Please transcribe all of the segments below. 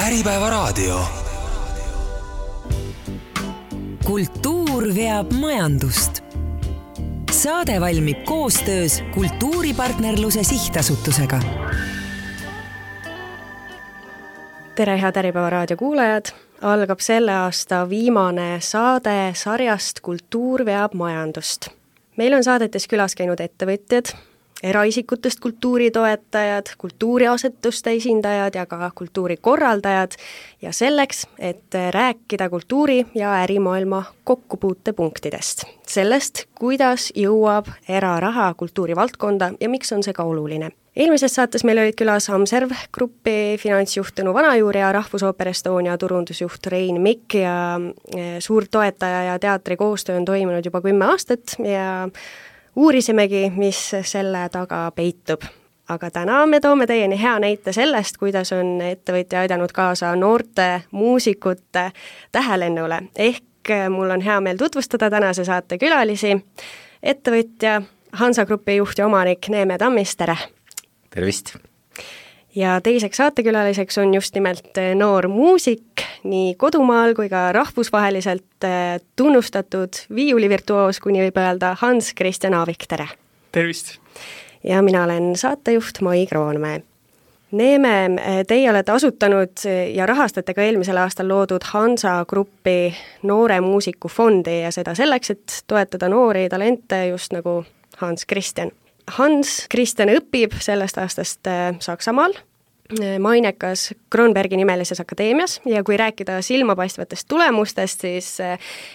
Äripäevaraadio. Kultuur veab majandust. Saade valmib koostöös Kultuuripartnerluse Sihtasutusega. Tere, head Äripäevaraadio kuulajad! Algab selle aasta viimane saade sarjast Kultuur veab majandust. Meil on saadetes külas käinud ettevõtjad, eraisikutest kultuuritoetajad, kultuuriasetuste esindajad ja ka kultuurikorraldajad ja selleks, et rääkida kultuuri- ja ärimaailma kokkupuutepunktidest. Sellest, kuidas jõuab eraraha kultuurivaldkonda ja miks on see ka oluline. Eelmises saates meil olid külas Amserv Grupi finantsjuht Tõnu Vanajuur ja Rahvusooper Estonia turundusjuht Rein Mikk ja suurtoetaja ja teatri koostöö on toimunud juba 10 aastat ja uurisimegi, mis selle taga peitub. Aga täna me toome teieni hea näite sellest, kuidas on ettevõtja aidanud kaasa noorte muusikute tähelennule. Ehk mul on hea meel tutvustada tänase saate külalisi. Ettevõtja Hansa Grupi juht ja omanik Neeme Tammis, tere! Tervist! Ja teiseks saatekülaliseks on just nimelt noor muusik, nii kodumaal kui ka rahvusvaheliselt tunnustatud viiulivirtuoos, kuni võib öelda Hans Christian Aavik, tere! Tervist! Ja mina olen saatejuht Mai Kroonmäe. Neeme, teie olete asutanud ja rahastate ka eelmisel aastal loodud Hansa Grupi noore muusiku fondi ja seda selleks, et toetada noori talente just nagu Hans Christian. Hans Christian õpib sellest aastast Saksamaal, mainekas Kronbergi nimelises akadeemias ja kui rääkida silmapaistvatest tulemustest, siis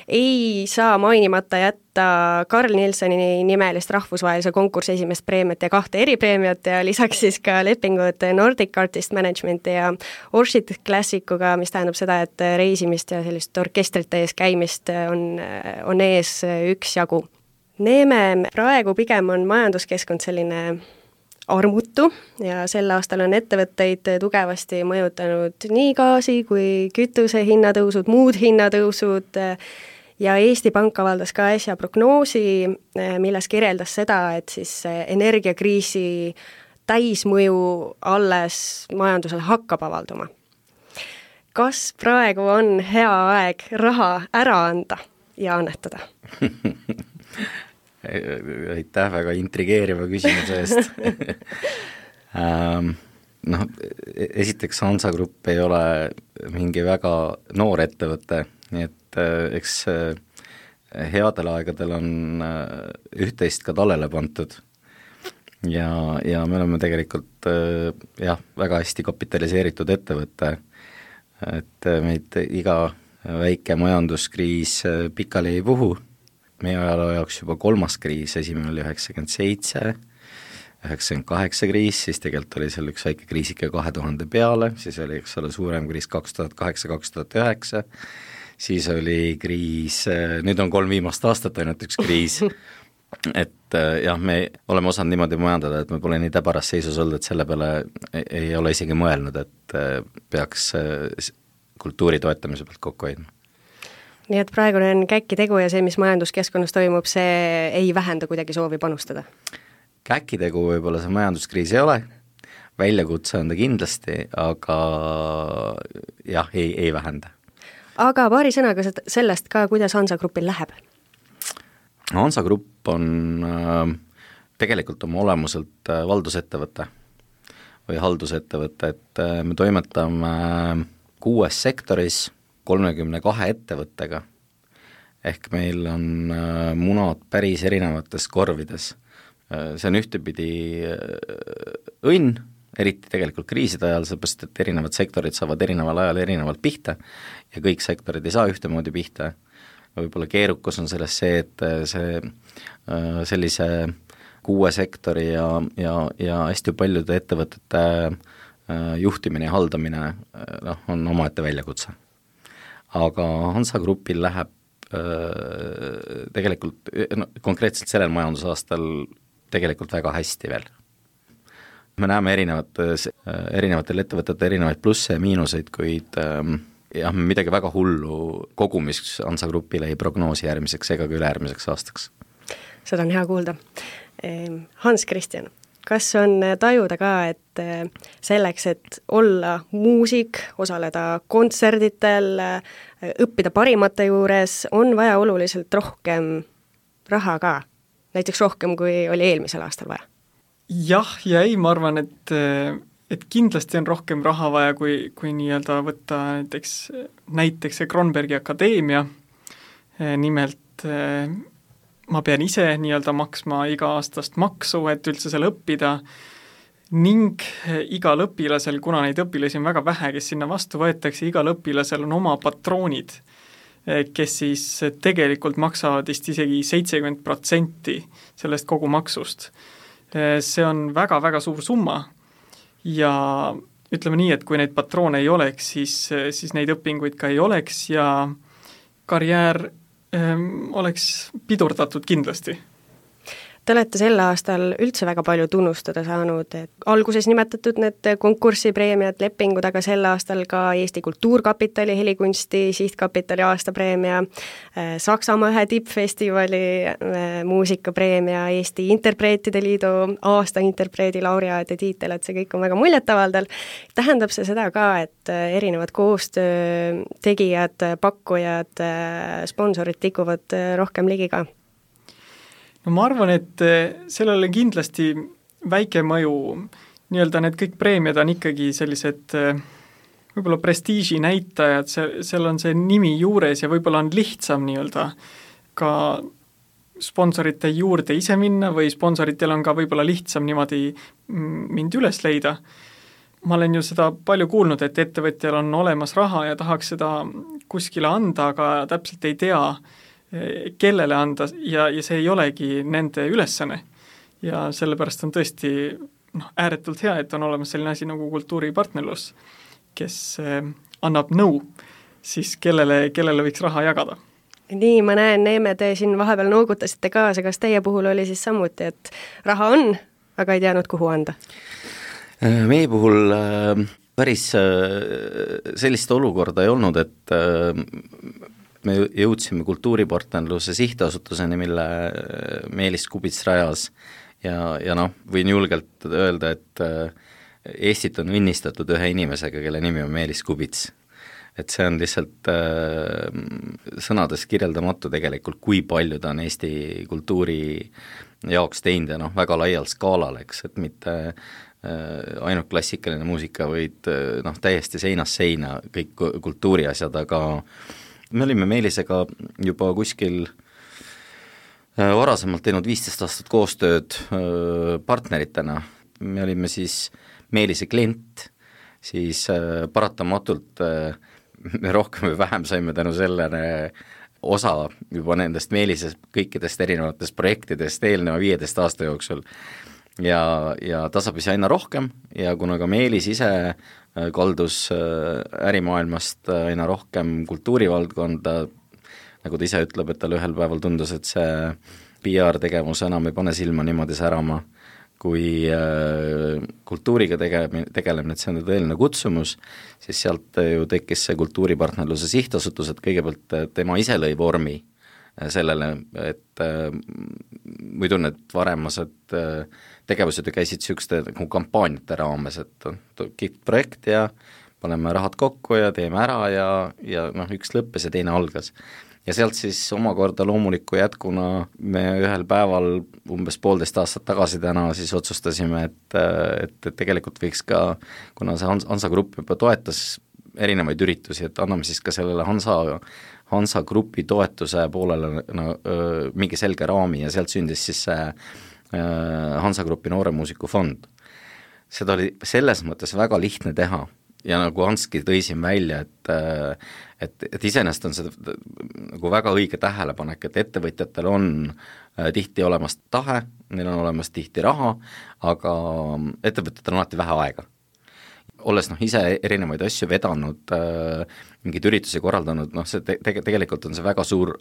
ei saa mainimata jätta Carl Nilssoni nimelist rahvusvahelise konkursi esimest preemiat ja 2 eripreemiat ja lisaks siis ka lepingud Nordic Artist Managementi ja Orchid Classicuga, mis tähendab seda, et reisimist ja sellist orkestrite ees käimist on ees üksjagu. Neeme praegu pigem on majanduskeskkond selline armutu ja sel aastal on ettevõtteid tugevasti mõjutanud nii gaasi kui kütuse hinnatõusud, muud hinnatõusud ja Eesti Pank avaldas ka äsja prognoosi, milles kirjeldas seda, et siis energiakriisi täismõju alles majandusele hakkab avalduma. Kas praegu on hea aeg raha ära anda ja annetada? Aitäh väga intrigeeriva küsimuse eest. Esiteks Hansa Grupp ei ole mingi väga noor ettevõte, nii et eks headel aegadel on üht-teist ka talele pantud ja me oleme tegelikult väga hästi kapitaliseeritud ettevõte, et meid iga väike majanduskriis pikali ei puhu. Meie ajaloo jaoks juba 3. kriis, esimene oli 97, 98 kriis, siis tegelikult oli seal üks väike kriisike 2000 peale, siis oli suurem kriis 2008-2009, siis oli kriis, nüüd on 3 viimast aastat ainult üks kriis, et me oleme osanud niimoodi majandada, et me pole nii täbaras seisus olnud, et selle peale ei ole isegi mõelnud, et peaks kultuuri toetamise pealt kokku hoidma. Nii et praegune on käkki tegu ja see, mis majanduskeskkonnas toimub, see ei vähenda kuidagi soovi panustada? Käkki tegu võib-olla see majanduskriis ei ole, väljakutse on ta kindlasti, aga ei vähenda. Aga paari sõnaga sellest ka, kuidas Hansa Grupil läheb? Hansa Grupp on tegelikult oma olemuselt valdusettevõte või haldusettevõte, et me toimetame 6 sektoris 32 ettevõttega, ehk meil on munad päris erinevates korvides. See on ühtepidi õnn, eriti tegelikult kriiside ajal, seepärast, et erinevad sektorid saavad erineval ajal erinevalt pihta ja kõik sektorid ei saa ühtemoodi pihta. Võib-olla keerukus on selles see, et sellise 6 sektori ja hästi paljude ettevõtete juhtimine ja haldamine on omaette väljakutse. Aga Hansa Grupil läheb tegelikult konkreetselt sellel majandusaastal tegelikult väga hästi veel. Me näeme erinevatel ettevõtetel erinevaid plusse ja miinuseid, kuid midagi väga hullu kogumis Hansa Grupile ei prognoosi järgmiseks ega ka ülejärgmiseks aastaks. Seda on hea kuulda. Hans Christian, kas on tajuda ka, et selleks, et olla muusik, osaleda kontserditel, õppida parimate juures, on vaja oluliselt rohkem raha ka? Näiteks rohkem, kui oli eelmisel aastal vaja? Jah ja ei, ma arvan, et kindlasti on rohkem raha vaja, kui nii-öelda võtta näiteks see Kronbergi Akadeemia. Nimelt ma pean ise nii-öelda maksma iga-aastast maksu, et üldse seal õppida ning igal õpilasel, kuna neid õpilasi on väga vähe, kes sinna vastu võetakse, igal õpilasel on oma patroonid, kes siis tegelikult maksavad vist isegi 70% sellest kogu maksust. See on väga-väga suur summa ja ütleme nii, et kui neid patroone ei oleks, siis neid õpinguid ka ei oleks ja karjäär oleks pidurdatud kindlasti. Te olete sel aastal üldse väga palju tunnustada saanud, et alguses nimetatud need konkursipreemiad, lepingud, aga sel aastal ka Eesti Kultuurkapitali helikunsti sihtkapitali aastapreemia, Saksamaa ühe tippfestivali muusikapreemia, Eesti Interpreetide Liidu aasta interpreedi laureaadi tiitel, et see kõik on väga muljetavaldav. Tähendab see seda ka, et erinevad koostöötegijad, pakkujad, sponsorid tikuvad rohkem ligi ka? No ma arvan, et sellele kindlasti väike mõju, nii-öelda need kõik preemiad on ikkagi sellised võib-olla prestiiži näitajad, seal on see nimi juures ja võib-olla on lihtsam nii-öelda ka sponsorite juurde ise minna või sponsoritel on ka võib-olla lihtsam niimoodi mind üles leida. Ma olen ju seda palju kuulnud, et ettevõtjal on olemas raha ja tahaks seda kuskile anda, aga täpselt ei tea, kellele anda ja see ei olegi nende ülesanne. Ja sellepärast on tõesti ääretult hea, et on olemas selline asi nagu kultuuripartnerlus, kes annab nõu, siis kellele võiks raha jagada. Nii, ma näen, Neeme, te siin vahepeal noogutasite kaasa, kas teie puhul oli siis samuti, et raha on, aga ei teadnud, kuhu anda? Meie puhul päris sellist olukorda ei olnud, et me jõudsime kultuuripartnerluse sihtasutuseni, mille Meelis Kubits rajas ja võin julgelt öelda, et Eestit on õnnistatud ühe inimesega, kelle nimi on Meelis Kubits. Et see on lihtsalt sõnades kirjeldamatu tegelikult, kui palju ta on Eesti kultuuri jaoks teinud ja väga laial skaalal, eks, et mitte ainult klassikaline muusika, vaid täiesti seinast seina kõik kultuuriasjad, aga me olime Meelisega juba kuskil varasemalt teinud 15 aastat koostööd partneritena. Me olime siis Meelise klient, siis paratamatult me rohkem või vähem saime tänu sellele osa juba nendest Meelise kõikidest erinevatest projektidest eelneva 15 aasta jooksul ja tasapisi aina rohkem ja kuna ka Meelis ise kaldus ärimaailmast aina rohkem kultuurivaldkonda, nagu ta ise ütleb, et tal ühel päeval tundus, et see PR-tegevus enam ei pane silma niimoodi särama, kui kultuuriga tegelemine, et see on tõeline kutsumus, siis sealt ju tekkis see kultuuripartnerluse sihtasutus, et kõigepealt tema ise lõi vormi sellele, et muidu need varemased tegevused ju käisid niisuguste kampaaniate raames, et kihvt projekt ja paneme rahad kokku ja teeme ära ja üks lõppes ja teine algas. Ja sealt siis omakorda loomuliku jätkuna me ühel päeval umbes 1,5 aastat tagasi täna siis otsustasime, et tegelikult võiks ka, kuna see Hansa Grupp juba toetas erinevaid üritusi, et anname siis ka sellele Hansa Grupi toetuse poolele mingi selge raami ja sealt sündis siis see Hansa Grupi nooremuusiku fond. Seda oli selles mõttes väga lihtne teha ja nagu Hanski tõi siin välja, et iseenesest on see nagu väga õige tähelepanek, et ettevõtjatel on tihti olemas tahe, neil on olemas tihti raha, aga ettevõtjatel on alati vähe aega. Olles ise erinevaid asju vedanud, mingeid üritusi korraldanud, see tegelikult on see väga suur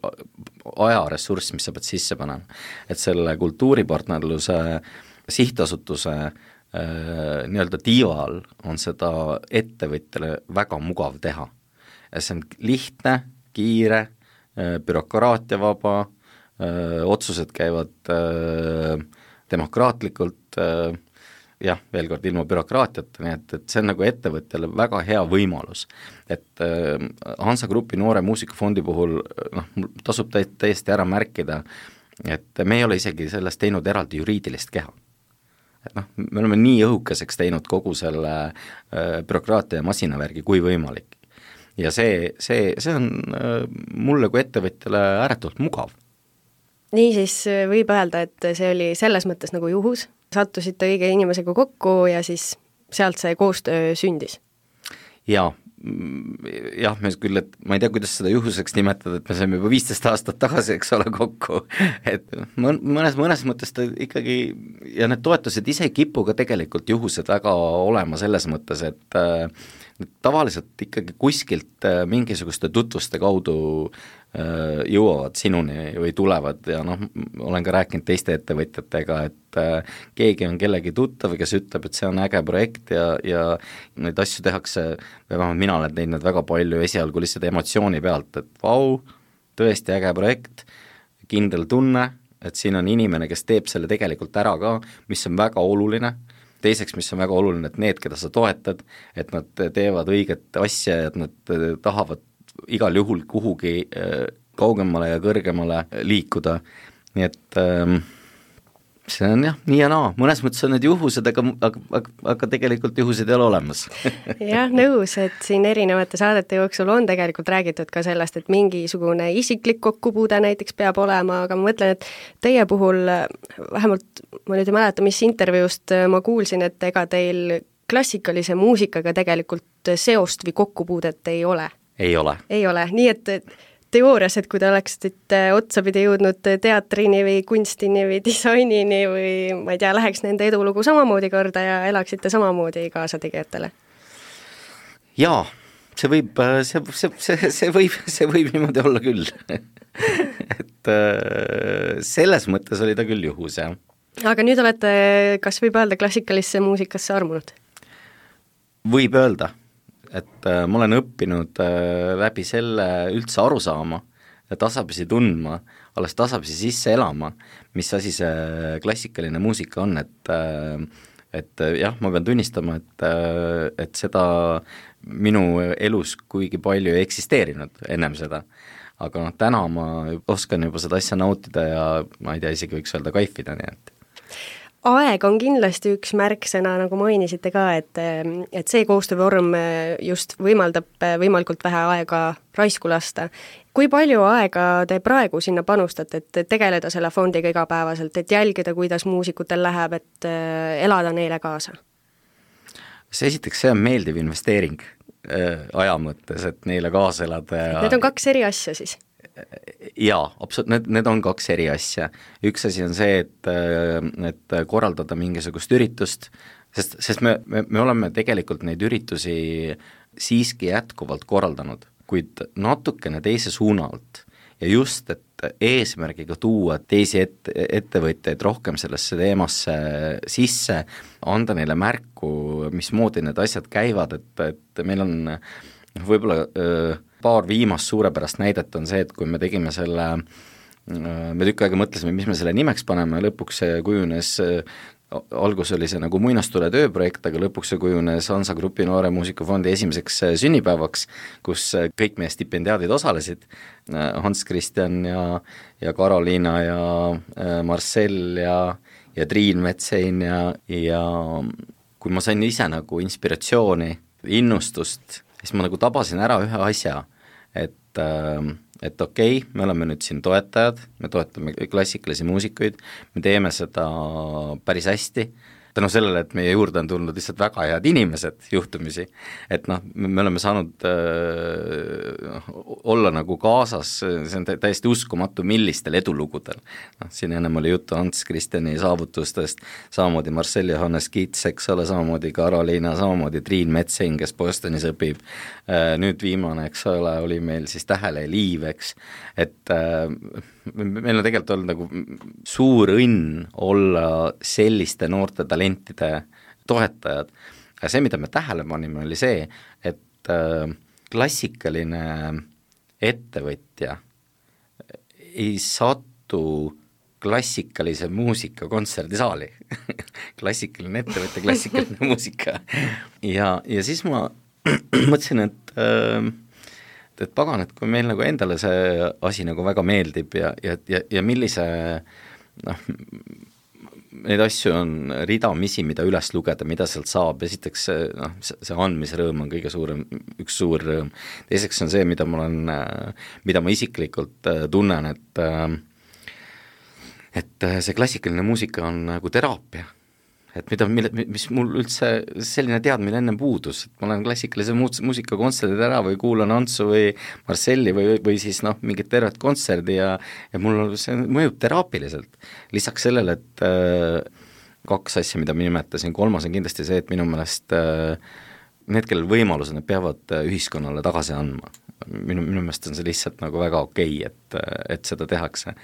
ajaressurss, mis sa pead sisse panema. Et selle kultuuripartnerluse sihtasutuse nii-öelda tiival on seda ettevõtjale väga mugav teha. See on lihtne, kiire, bürokraatiavaba, otsused käivad demokraatlikult, jah, veel kord ilma bürokraatiata, nii et see on nagu ettevõtjale väga hea võimalus. Et Hansa Grupi Noore Muusikafondi puhul tasub täiesti ära märkida, et me ei ole isegi sellest teinud eraldi juriidilist keha. Et me oleme nii õhukeseks teinud kogu selle bürokraatia ja masinavärgi kui võimalik. Ja see on mulle kui ettevõtjale ääretult mugav. Nii siis võib öelda, et see oli selles mõttes nagu juhus, sattusite õige inimesega kokku ja siis sealt see koostöö sündis? Jah, me küll, et ma ei tea, kuidas seda juhuseks nimetada, et me saime juba 15 aastat tagasi, eks ole, kokku, et mõnes mõttes ta ikkagi, ja need toetused ise ei kipu ka tegelikult juhused väga olema selles mõttes, et tavaliselt ikkagi kuskilt mingisuguste tutvuste kaudu jõuavad sinuni või tulevad ja olen ka rääkinud teiste ettevõtjatega, et keegi on kellegi tuttav, kes ütleb, et see on äge projekt ja neid asju tehakse, või vähemalt mina olen teinud väga palju esialgu lihtsalt emotsiooni pealt, et vau, tõesti äge projekt, kindel tunne, et siin on inimene, kes teeb selle tegelikult ära ka, mis on väga oluline. Teiseks, mis on väga oluline, et need, keda sa toetad, et nad teevad õiget asja ja et nad tahavad igal juhul kuhugi kaugemale ja kõrgemale liikuda, nii et see on jah, nii ja naa, mõnes mõttes on need juhused, aga tegelikult juhused ei ole olemas. Jah, nõus, et siin erinevate saadete jooksul on tegelikult räägitud ka sellest, et mingisugune isiklik kokkupuude näiteks peab olema, aga ma mõtlen, et teie puhul, vähemalt ma nüüd ei mäleta, mis intervjuust ma kuulsin, et ega teil klassikalise muusikaga tegelikult seost või kokkupuudet ei ole? Ei ole. Ei ole, nii et teoorias, et kui te oleksite otsapidi jõudnud teatrini või kunstini või disainini või ma ei tea, läheks nende edulugu samamoodi korda ja elaksite samamoodi kaasategijatele? Jaa, see võib niimoodi olla küll. Et selles mõttes oli ta küll juhus, jah. Aga nüüd olete, kas võib öelda, klassikalisse muusikasse armunud? Võib öelda. Et ma olen õppinud läbi selle üldse aru saama ja tasapisi tundma, alles tasapisi sisse elama, mis asi see klassikaline muusika on, et jah, ma pean tunnistama, et seda minu elus kuigi palju ei eksisteerinud ennem seda, aga täna ma oskan juba seda asja nautida ja ma ei tea, isegi võiks öelda kaifida, nii et aeg on kindlasti üks märksõna, nagu mainisite ka, et see koostöövorm just võimaldab võimalikult vähe aega raisku lasta. Kui palju aega te praegu sinna panustate, et tegeleda selle fondiga igapäevaselt, et jälgida, kuidas muusikutel läheb, et elada neile kaasa? Esiteks, see on meeldiv investeering aja mõttes, et neile kaasa elada ja need on kaks eri asja siis? Jaa, absoluutselt, need on kaks eri asja. Üks asi on see, et korraldada mingisugust üritust, sest me oleme tegelikult neid üritusi siiski jätkuvalt korraldanud, kuid natukene teise suuna alt ja just, et eesmärgiga tuua teisi ettevõtjaid rohkem sellesse teemasse sisse, anda neile märku, mismoodi need asjad käivad, et meil on võib-olla paar viimast suurepärast näidet on see, et kui me tegime selle, me tükk aega mõtlesime, mis me selle nimeks paneme, lõpuks see kujunes, algus oli see nagu muinastule tööprojekt, aga lõpuks see kujunes Hansa Grupi Noore Muusikafondi esimeseks sünnipäevaks, kus kõik meie stipendiaadid osalesid, Hans Christian ja Karoliina ja Marcel ja Triin Metsein ja kui ma sain ise nagu inspiratsiooni, innustust, siis ma nagu tabasin ära ühe asja, et okei, me oleme nüüd siin toetajad, me toetame klassikalisi muusikuid, me teeme seda päris hästi, tänu sellele, et meie juurde on tulnud lihtsalt väga head inimesed juhtumisi, et me oleme saanud olla nagu kaasas, see on täiesti uskumatu, millistel edulugudel. Siin ennem oli juttu Hans Christiani saavutustest, samamoodi Marcel Johannes Kits, eks ole, samamoodi Karoliina, samamoodi Triin Metsein, kes Bostonis õpib, nüüd viimane, eks ole, oli meil siis Tähele Liiv, eks, et meil on tegelikult olnud nagu suur õnn olla selliste noorte talentide toetajad. Ja see, mida me tähele panime, oli see, et klassikaline ettevõtja ei satu klassikalise muusika kontserdisaali klassikaline ettevõte, klassikaline muusika. ja siis ma mõtlesin, et pagan, et kui meil nagu endale see asi nagu väga meeldib ja millise neid asju on ridamisi, mida üles lugeda, mida sealt saab, esiteks see andmisrõõm on kõige suurem, üks suur rõõm, teiseks on see, mida ma isiklikult tunnen, et see klassikaline muusika on nagu teraapia, et mis mul üldse selline teadmine enne puudus, et ma olen klassikalise muusika kontserdid ära või kuulan Antsu või Marcelli või siis mingit tervet kontserdi ja mul see mõjub teraapiliselt. Lisaks sellele, et kaks asja, mida ma nimetasin, kolmas on kindlasti see, et minu meelest need, kellel võimalused, need peavad ühiskonnale tagasi andma. Minu meelest on see lihtsalt nagu väga okei, et seda tehakse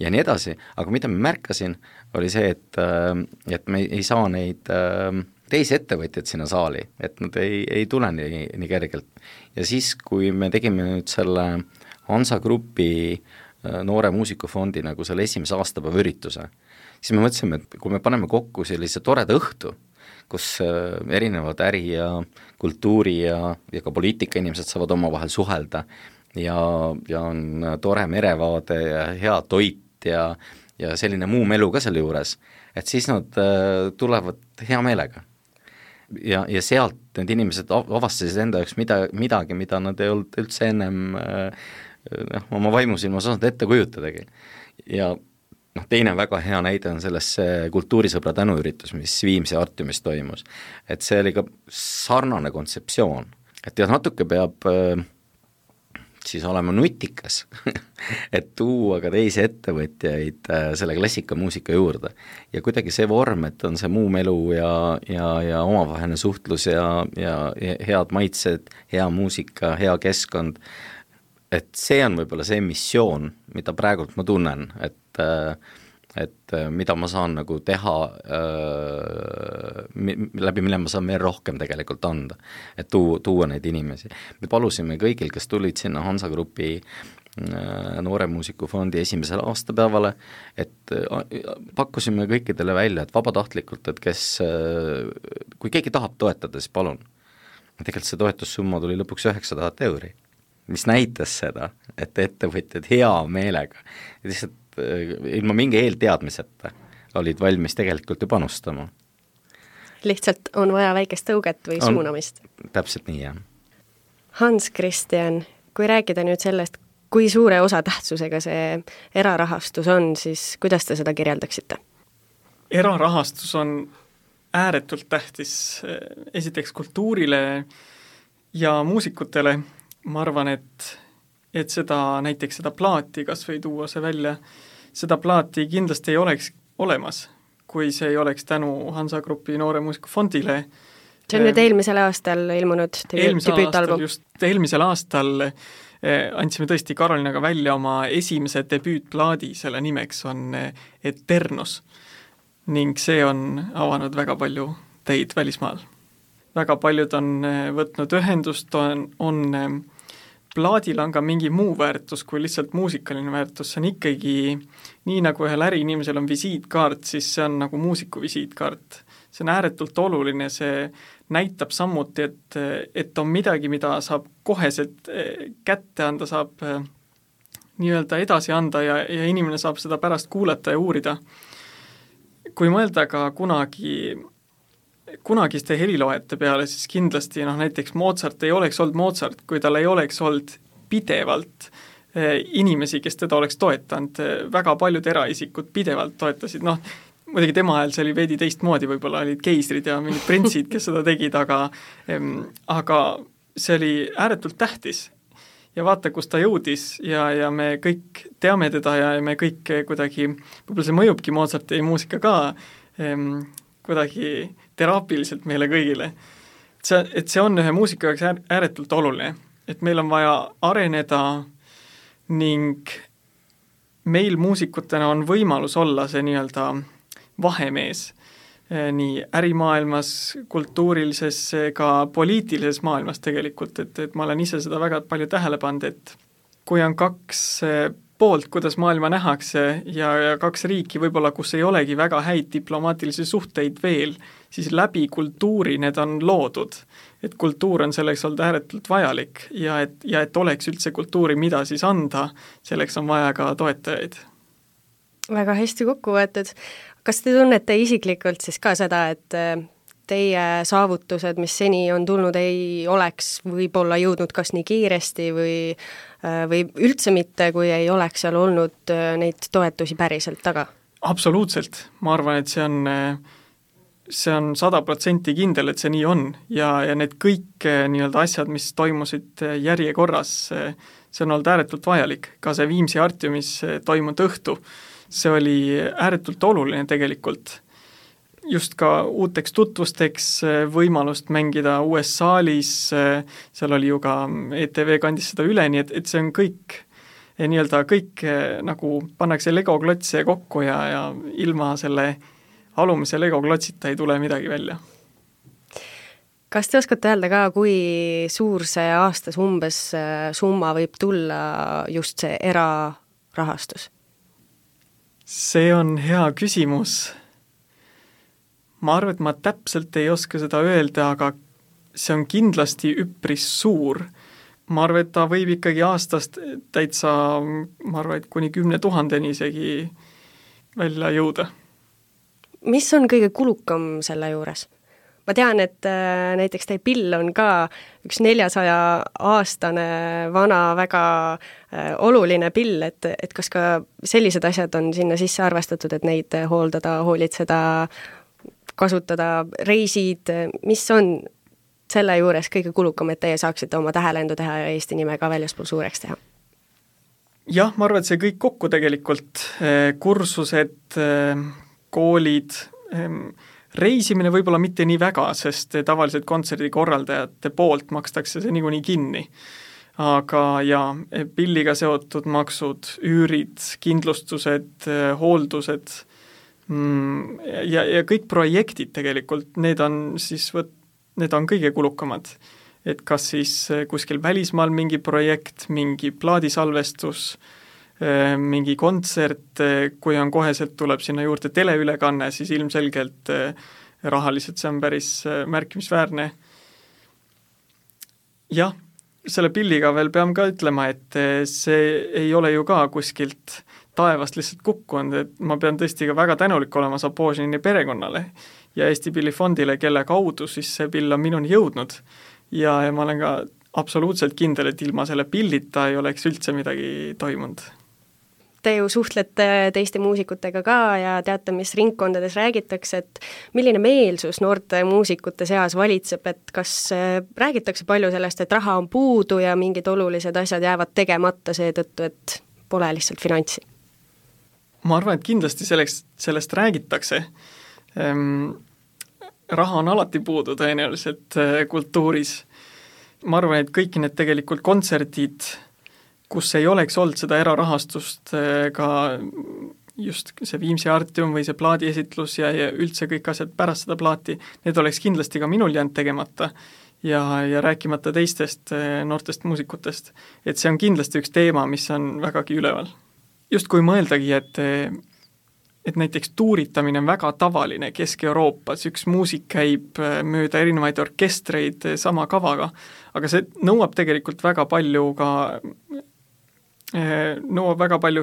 ja nii edasi, aga mida ma märkasin, oli see, et me ei saa neid teisi ettevõtjaid sinna saali, et nad ei tule nii kergelt. Ja siis, kui me tegime nüüd selle Hansa Grupi noore muusikufondi nagu selle esimese aastapäeva ürituse, siis me mõtlesime, et kui me paneme kokku sellise toreda õhtu, kus erinevad äri ja kultuuri ja ka poliitika inimesed saavad omavahel suhelda ja on tore merevaade ja hea toit ja selline muu melu ka selle juures, et siis nad tulevad hea meelega. Ja sealt need inimesed avastasid enda jaoks midagi, mida nad ei olnud üldse ennem oma vaimusilmas osanud ette kujutadagi. Ja teine väga hea näide on selles kultuurisõbra tänuüritus, mis Viimsi Artiumis toimus. Et see oli ka sarnane kontseptsioon, et natuke peab siis olema nutikas et tuua ka teisi ettevõtjaid selle klassikamuusika juurde. Ja kuidagi see vorm, et on see muu melu ja omavaheline suhtlus ja head maitsed, hea muusika, hea keskkond, et see on võib-olla see missioon, mida praegult ma tunnen, et mida ma saan nagu teha, läbi mille ma saan veel rohkem tegelikult anda, et tuua neid inimesi. Me palusime kõigil, kes tulid sinna Hansa Grupi noore muusikufondi esimesele aastapäevale, et pakkusime kõikidele välja, et vabatahtlikult, et kui keegi tahab toetada, siis palun. Tegelikult see toetussumma tuli lõpuks 900 €, mis näitas seda, et ettevõtjad hea meelega, lihtsalt ilma mingi eelteadmiseta olid valmis tegelikult ju panustama. Lihtsalt on vaja väikest tõuget või suunamist. Täpselt nii, jah. Hans-Christian, kui rääkida nüüd sellest, kui suure osatähtsusega see erarahastus on, siis kuidas te seda kirjeldaksite? Erarahastus on ääretult tähtis esiteks kultuurile ja muusikutele. Ma arvan, et näiteks seda plaati, kas või tuua see välja, seda plaati kindlasti ei oleks olemas, kui see ei oleks tänu Hansa Grupi noore muusikufondile. See on nüüd eelmisel aastal ilmunud debüütalbum. Eelmisel aastal andsime tõesti Karolinaga välja oma esimese debüütplaadi, selle nimeks on Eternos ning see on avanud väga palju teid välismaal. Väga paljud on võtnud ühendust, on plaadil on ka mingi muu väärtus kui lihtsalt muusikaline väärtus, see on ikkagi nii nagu ühel äriinimesel on visiitkaart, siis see on nagu muusiku visiitkaart. See on ääretult oluline, see näitab samuti, et on midagi, mida saab koheselt kätte anda, saab nii-öelda edasi anda ja inimene saab seda pärast kuulata ja uurida. Kui mõelda ka kunagiste heliloojate peale, siis kindlasti näiteks Mozart ei oleks olnud Mozart, kui tal ei oleks olnud pidevalt inimesi, kes teda oleks toetanud. Väga paljud eraisikud pidevalt toetasid, muidugi tema ajal see oli veidi teistmoodi, võib-olla olid keisrid ja mingid printsid, kes seda tegid, aga see oli ääretult tähtis. Ja vaata, kus ta jõudis ja me kõik teame teda ja me kõik kuidagi, võib-olla see mõjubki Mozarti muusika ka kuidagi teraapiliselt meile kõigile. Et see on ühe muusika jaoks ääretult oluline, et meil on vaja areneda ning meil muusikutena on võimalus olla see nii-öelda vahemees nii ärimaailmas, kultuurilises, ka poliitilises maailmas tegelikult, et ma olen ise seda väga palju tähele pannud, et kui on kaks poolt, kuidas maailma nähakse ja 2 riiki võib-olla, kus ei olegi väga häid diplomaatilisi suhteid veel, siis läbi kultuuri need on loodud. Et kultuur on selleks olnud ääretult vajalik ja et oleks üldse kultuuri, mida siis anda, selleks on vaja ka toetajaid. Väga hästi kokku võetud. Kas te tunnete isiklikult siis ka seda, et teie saavutused, mis seni on tulnud, ei oleks võib-olla jõudnud kas nii kiiresti või üldse mitte, kui ei oleks seal olnud neid toetusi päriselt taga? Absoluutselt. Ma arvan, et see on 100% kindel, et see nii on ja need kõik nii-öelda asjad, mis toimusid järjekorras, see on olnud ääretult vajalik. Ka see Viimsi Artiumis toimunud õhtu, see oli ääretult oluline tegelikult. Just ka uuteks tutvusteks võimalust mängida uues saalis, seal oli ju ka ETV kandis seda üle, nii et see on kõik nii-öelda kõik nagu pannakse legoklotse kokku ja ilma selle alumise legoklotsita ei tule midagi välja. Kas te oskate öelda ka, kui suur see aastas umbes summa võib tulla just see erarahastus? See on hea küsimus. Ma arvan, et ma täpselt ei oska seda öelda, aga see on kindlasti üpris suur. Ma arvan, et ta võib ikkagi aastast täitsa, ma arvan, et kuni 10 000 isegi välja jõuda. Mis on kõige kulukam selle juures? Ma tean, et näiteks teie pill on ka üks 400-aastane vana väga oluline pill, et kas ka sellised asjad on sinna sisse arvestatud, et neid hooldada, hoolitseda, kasutada, reisid, mis on selle juures kõige kulukam, et teie saaksite oma tähelendu teha ja Eesti nime ka väljaspool suureks teha? Jah, ma arvan, et see kõik kokku tegelikult, kursused, koolid, reisimine võib-olla mitte nii väga, sest tavaliselt kontserdikorraldajate poolt makstakse see niikuinii kinni. Aga pilliga seotud maksud, üürid, kindlustused, hooldused ja kõik projektid tegelikult, need on kõige kulukamad. Et kas siis kuskil välismaal mingi projekt, mingi plaadisalvestus, mingi kontsert, kui on koheselt tuleb sinna juurde teleülekanne, siis ilmselgelt rahaliselt see on päris märkimisväärne. Jah, selle pilliga veel pean ka ütlema, et see ei ole ju ka kuskilt taevast lihtsalt kukkunud, et ma pean tõesti ka väga tänulik olema Sapožini perekonnale ja Eesti Pillifondile, kelle kaudu siis see pill on minuni jõudnud. Ja ma olen ka absoluutselt kindel, et ilma selle pillita ei oleks üldse midagi toimunud. Te ju suhtlete teiste muusikutega ka ja teate, mis ringkondades räägitakse, et milline meelsus noorte muusikute seas valitseb, et kas räägitakse palju sellest, et raha on puudu ja mingid olulised asjad jäävad tegemata seetõttu, et pole lihtsalt finantsi? Ma arvan, et kindlasti sellest räägitakse. Raha on alati puudu tõenäoliselt kultuuris. Ma arvan, et kõik need tegelikult kontserdid, kus ei oleks olnud seda erarahastust, ka just see Viimsi Artium või see plaadiesitlus ja üldse kõik asjad pärast seda plaati, need oleks kindlasti ka minul jäänud tegemata ja rääkimata teistest noortest muusikutest. Et see on kindlasti üks teema, mis on vägagi üleval. Just kui mõeldagi, et näiteks tuuritamine on väga tavaline Kesk-Euroopas, üks muusik käib mööda erinevaid orkestreid sama kavaga, aga see nõuab tegelikult väga palju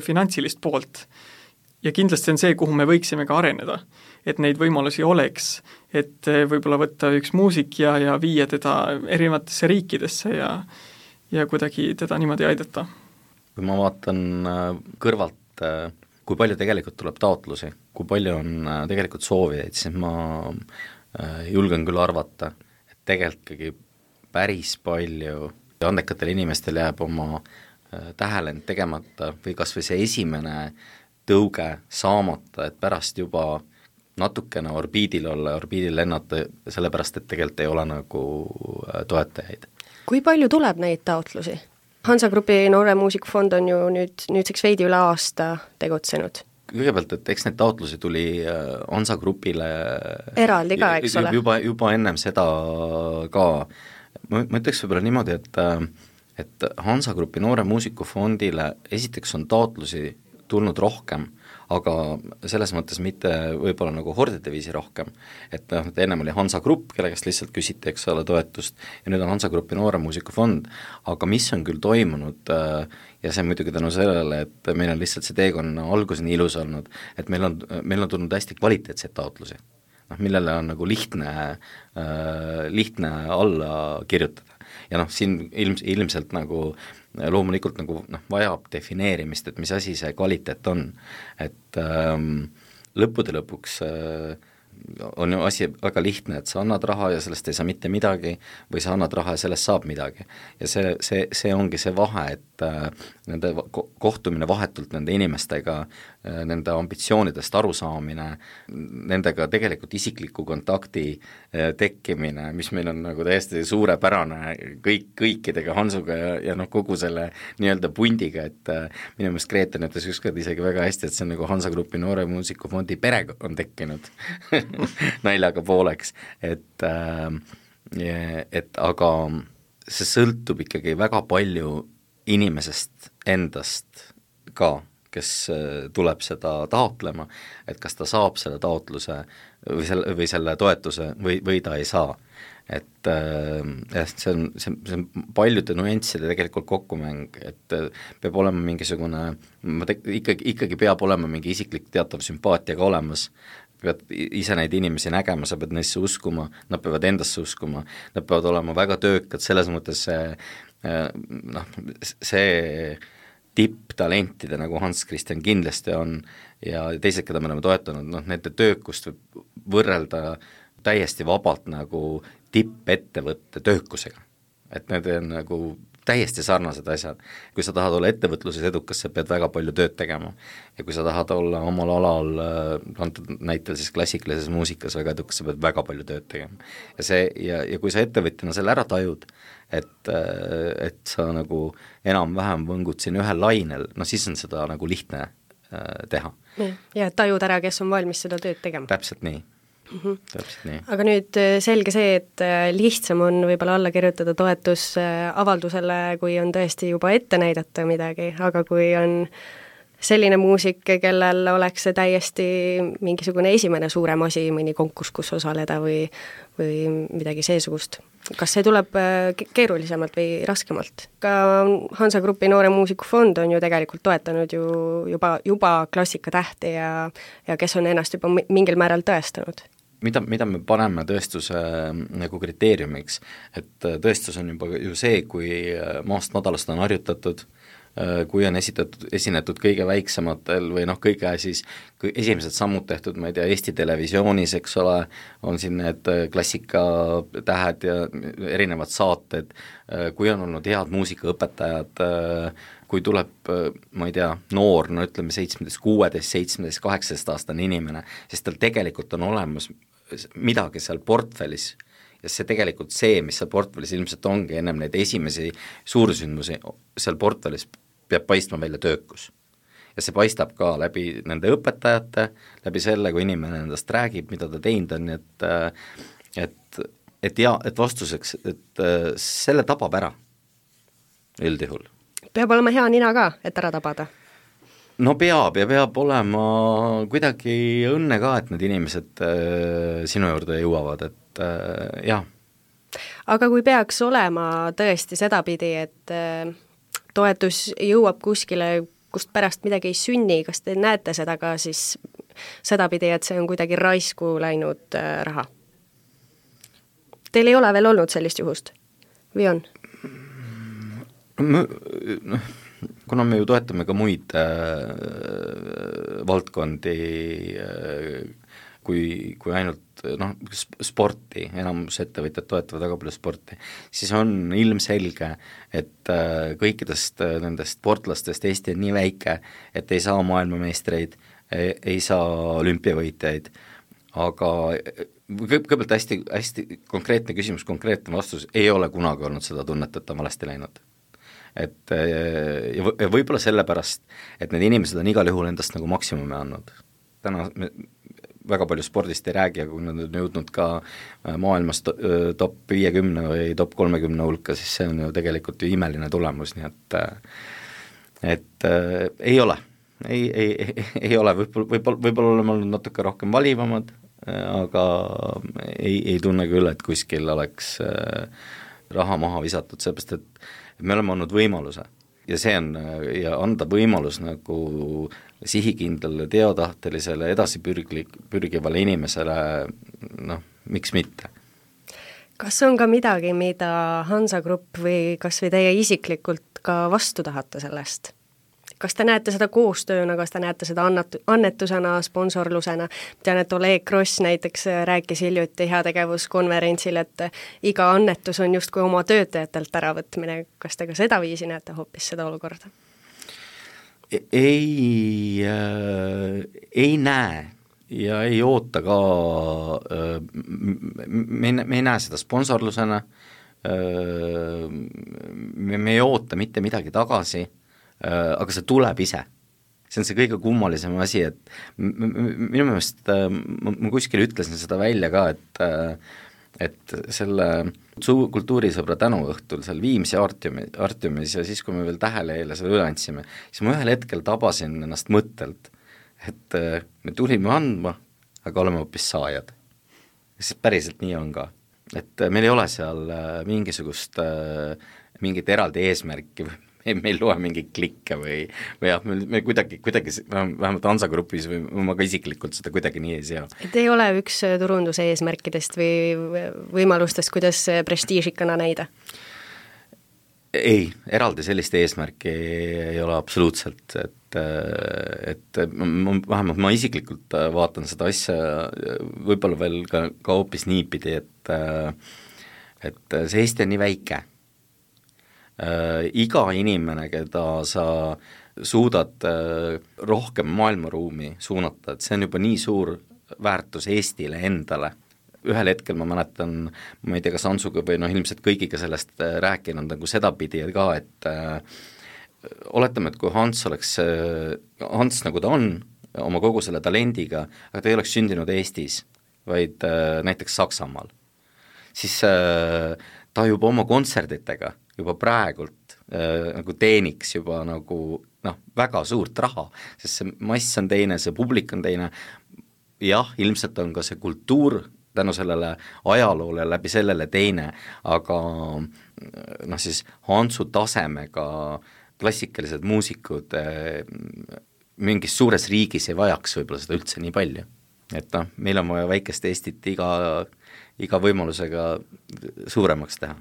finantsilist poolt. Ja kindlasti on see, kuhu me võiksime ka areneda, et neid võimalusi oleks, et võib-olla võtta üks muusik ja viia teda erinevatesse riikidesse ja kuidagi teda niimoodi aidata. Kui ma vaatan kõrvalt, kui palju tegelikult tuleb taotlusi, kui palju on tegelikult soovijaid, siis ma julgen küll arvata, et tegelikult päris palju andekatel inimestel jääb oma tähelend tegemata või kas või see esimene tõuge saamata, et pärast juba natukene orbiidil olla, orbiidil lennata, sellepärast, et tegelikult ei ole nagu toetajaid. Kui palju tuleb neid taotlusi? Hansa Grupi Noore Muusikufond on ju nüüdseks veidi üle aasta tegutsenud. Kõigepealt, et eks need taotlusi tuli Hansa Grupile eraldi ka, eks ole? Juba ennem seda ka. Ma ütleks võib-olla niimoodi, et Hansa Grupi Noore Muusikufondile esiteks on taotlusi tulnud rohkem, aga selles mõttes mitte võib-olla nagu hordide viisi rohkem, et ennem oli Hansa Grupp, kelle käest lihtsalt küsiti, eks ole, toetust, ja nüüd on Hansa Grupi Noore Muusikufond, aga mis on küll toimunud ja see muidugi tänu sellele, et meil on lihtsalt see teekonna alguseni ilus olnud, et meil on tulnud hästi kvaliteetseid taotlusi, millele on nagu lihtne alla kirjutada. Ja siin ilmselt nagu loomulikult nagu vajab defineerimist, et mis asi see kvaliteet on, et lõppude lõpuks on ju asi väga lihtne, et sa annad raha ja sellest ei saa mitte midagi või sa annad raha ja sellest saab midagi. Ja see ongi see vahe, et nende kohtumine vahetult nende inimestega, nende ambitsioonidest arusaamine, nendega tegelikult isikliku kontakti tekkimine, mis meil on nagu täiesti suurepärane kõikidega, Hansuga ja kogu selle nii-öelda pundiga, et minu meelest Greten ütles ükskord isegi väga hästi, et see on nagu Hansa Grupi Noore Muusikufondi pere on tekkinud naljaga pooleks, et aga see sõltub ikkagi väga palju inimesest endast ka, kes tuleb seda taotlema, et kas ta saab selle taotluse või selle toetuse või ta ei saa. Et see on paljude nüansside tegelikult kokkumäng, et peab olema mingisugune, ikkagi peab olema mingi isiklik teatav sümpaatia ka olemas, pead ise neid inimesi nägema, sa pead neisse uskuma, nad peavad endasse uskuma, nad peavad olema väga töökad, selles mõttes see tipptalentide, nagu Hans Christian kindlasti on, ja teised, keda me oleme toetanud, nende töökust võib võrrelda täiesti vabalt nagu tippettevõtte töökusega. Et need on nagu täiesti sarnased asjad. Kui sa tahad olla ettevõtluses edukas, sa pead väga palju tööd tegema. Ja kui sa tahad olla omal alal, antud näitel siis klassikalises muusikas väga edukas, sa pead väga palju tööd tegema. Ja kui sa ettevõtjana selle ära tajud, et sa nagu enam-vähem võngud siin ühel lainel, siis on seda nagu lihtne teha. Ja tajud ära, kes on valmis seda tööd tegema. Täpselt nii. Täpselt nii. Aga nüüd selge see, et lihtsam on võib-olla alla kirjutada toetusavaldusele, kui on tõesti juba ette näidata midagi, aga kui on selline muusik, kellel oleks see täiesti mingisugune esimene suurem asi, mõni konkurss, kus osaleda või midagi seesugust. Kas see tuleb keerulisemalt või raskemalt? Ka Hansa Grupi Noore Muusikufond on ju tegelikult toetanud juba klassikatähti ja kes on ennast juba mingil määral tõestanud. Mida me paneme tõestuse nagu kriteeriumiks, et tõestus on juba ju see, kui maast madalast on harjutatud, kui on esinetud kõige väiksematel või kõige siis esimesed sammud tehtud, ma ei tea, Eesti Televisioonis, eks ole, on siin need klassikatähed ja erinevad saated, kui on olnud head muusikaõpetajad, kui tuleb, ma ei tea, noor, ütleme 17, 16, 17, 18 aastane inimene, sest tal tegelikult on olemas midagi seal portfellis ja see tegelikult mis seal portfellis ilmselt ongi ennem neid esimesi suursündmusi, seal portfellis peab paistma välja töökus. Ja see paistab ka läbi nende õpetajate, läbi selle, kui inimene endast räägib, mida ta teinud on, et vastuseks, et selle tabab ära üldjuhul. Peab olema hea nina ka, et ära tabada? No peab ja peab olema kuidagi õnne ka, et need inimesed sinu juurde jõuavad, et jah. Aga kui peaks olema tõesti sedapidi, et toetus jõuab kuskile, kust pärast midagi ei sünni, kas te näete seda ka siis sedapidi, et see on kuidagi raisku läinud raha? Teil ei ole veel olnud sellist juhust? Või on? Kuna me ju toetame ka muid valdkondi kui ainult sporti, enamus ettevõtjad toetavad väga palju sporti, siis on ilmselge, et kõikidest nendest sportlastest Eesti on nii väike, et ei saa maailmameistreid, ei saa olümpiavõitjaid, aga kõigepealt hästi konkreetne küsimus, konkreetne vastus, ei ole kunagi olnud seda tunnet, et ta valesti läinud. Et ja võib-olla sellepärast, et need inimesed on igal juhul endast nagu maksimumi andnud. Täna väga palju spordist ei räägi, aga kui nad on jõudnud ka maailmas top 50 või top 30 hulka, siis see on ju tegelikult ju imeline tulemus, nii et ei ole, ei ole, võib-olla oleme olnud natuke rohkem valivamad, aga ei tunne küll, et kuskil oleks raha maha visatud, seepärast et me oleme andnud võimaluse ja see on, ja anda võimalus nagu sihikindlale, teotahtelisele, edasipürgivale inimesele, noh, miks mitte. Kas on ka midagi, mida Hansa Grupp või kas või teie isiklikult ka vastu tahate sellest? Kas te näete seda koostööna, kas te näete seda annetusena, sponsorlusena? Tean, et Oleg Gross näiteks rääkis hiljuti heategevuskonverentsil, et iga annetus on justkui oma töötajatelt äravõtmine. Kas te ka seda viisi näete hoopis seda olukorda? Ei näe ja ei oota ka, me ei näe seda sponsorlusena, me ei oota mitte midagi tagasi, aga see tuleb ise. See on see kõige kummalisem asi, et minu meelest, ma kuskil ütlesin seda välja ka, et selle kultuurisõbra tänuõhtul seal Viimsi Artiumis ja siis, kui me veel Tähelehele seda üle andsime, siis ma ühel hetkel tabasin ennast mõttelt, et me tulime andma, aga oleme hoopis saajad. Siis päriselt nii on ka. Et meil ei ole seal mingit eraldi eesmärki või me ei loe mingeid klikke või jah, me kuidagi vähemalt Hansa Grupis või ma ka isiklikult seda kuidagi nii ei sea. Et ei ole üks turunduse eesmärkidest või võimalustest, kuidas prestiižikana näida? Ei, eraldi sellist eesmärki ei ole absoluutselt, et vähemalt ma isiklikult vaatan seda asja võib-olla veel ka hoopis niipidi, et see Eesti on nii väike. Iga inimene, keda sa suudad rohkem maailmaruumi suunata, et see on juba nii suur väärtus Eestile endale. Ühel hetkel ma mäletan, ma ei tea, kas Hansuga või ilmselt kõigiga sellest rääkinud nagu sedapidi ka, et oletame, et kui Hans nagu ta on oma kogu selle talendiga, aga ta ei oleks sündinud Eestis, vaid näiteks Saksamaal, siis ta juba oma kontserditega juba praegult nagu teeniks juba nagu väga suurt raha, sest see mass on teine, see publik on teine, jah, ilmselt on ka see kultuur tänu sellele ajaloole läbi sellele teine, aga siis Hansu tasemega klassikalised muusikud mingis suures riigis ei vajaks võib-olla seda üldse nii palju. Et meil on vaja väikest Eestit iga võimalusega suuremaks teha.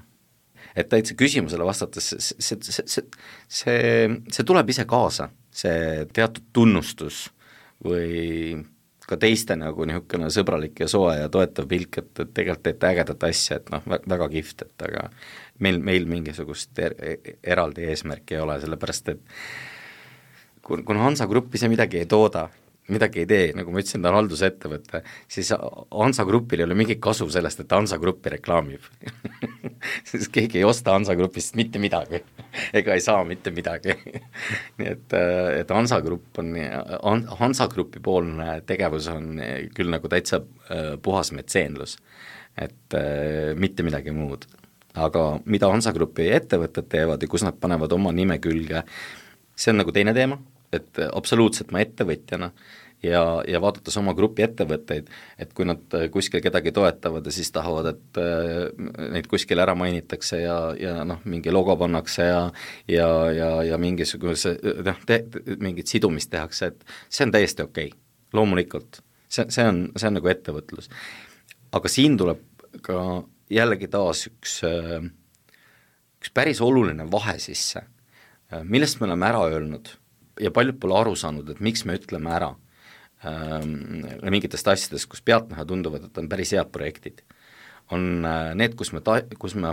Et täitsa küsimusele vastates, see tuleb ise kaasa, see teatud tunnustus või ka teiste nagu niisugune sõbralik ja soe ja toetav pilk, et tegelikult teete ägedat asja, et väga kihvt, et aga meil mingisugust eraldi eesmärki ei ole, sellepärast et kuna Hansa Gruppi see midagi ei tooda, midagi ei tee, nagu ma ütlesin, ta on haldusettevõte, siis Hansa Grupil ei ole mingit kasu sellest, et Hansa Gruppi reklaamib. Siis keegi ei osta Hansa Grupist mitte midagi, ega ei saa mitte midagi. Nii et Hansa Grupp on, Hansa Grupi poolne tegevus on küll nagu täitsa puhas metseenlus, et mitte midagi muud. Aga mida Hansa Grupi ettevõtted teevad ja kus nad panevad oma nime külge, see on nagu teine teema, et absoluutselt ma ettevõtjana ja vaadates oma grupi ettevõtteid, et kui nad kuskil kedagi toetavad ja siis tahavad, et neid kuskil ära mainitakse ja mingi logo pannakse ja mingisuguse mingit sidumist tehakse, et see on täiesti okei, loomulikult, see on nagu ettevõtlus. Aga siin tuleb ka jällegi taas üks päris oluline vahe sisse, millest me oleme ära öelnud ja paljud pole aru saanud, et miks me ütleme ära mingitest asjadest, kus pealtnäha tunduvad, et on päris head projektid. On need, kus me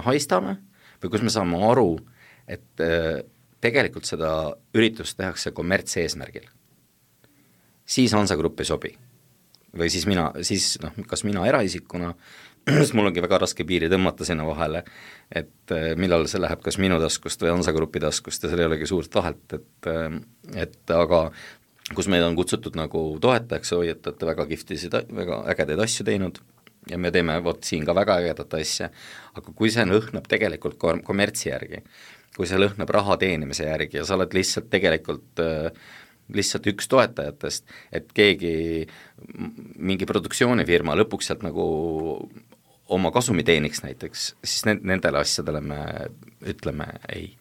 haistame või kus me saame aru, et tegelikult seda üritust tehakse kommertseesmärgil. Siis Hansa Grupp ei sobi. Või siis kas mina eraisikuna, sest mul ongi väga raske piiri tõmmata sinna vahele, et millal see läheb kas minu taskust või Hansa Grupi taskust ja seal ei olegi suurt vahet, et aga kus meid on kutsutud nagu toetajaks, hoiatate väga kihvtisid, väga ägedaid asju teinud ja me teeme vot siin ka väga ägedat asja, aga kui see lõhnab tegelikult kommertsi järgi, kui see lõhnab raha teenimise järgi ja sa oled lihtsalt tegelikult lihtsalt üks toetajatest, et keegi, mingi produktsioonifirma lõpuks sealt nagu oma kasumi teeniks näiteks, siis nendele asjadele me ütleme ei.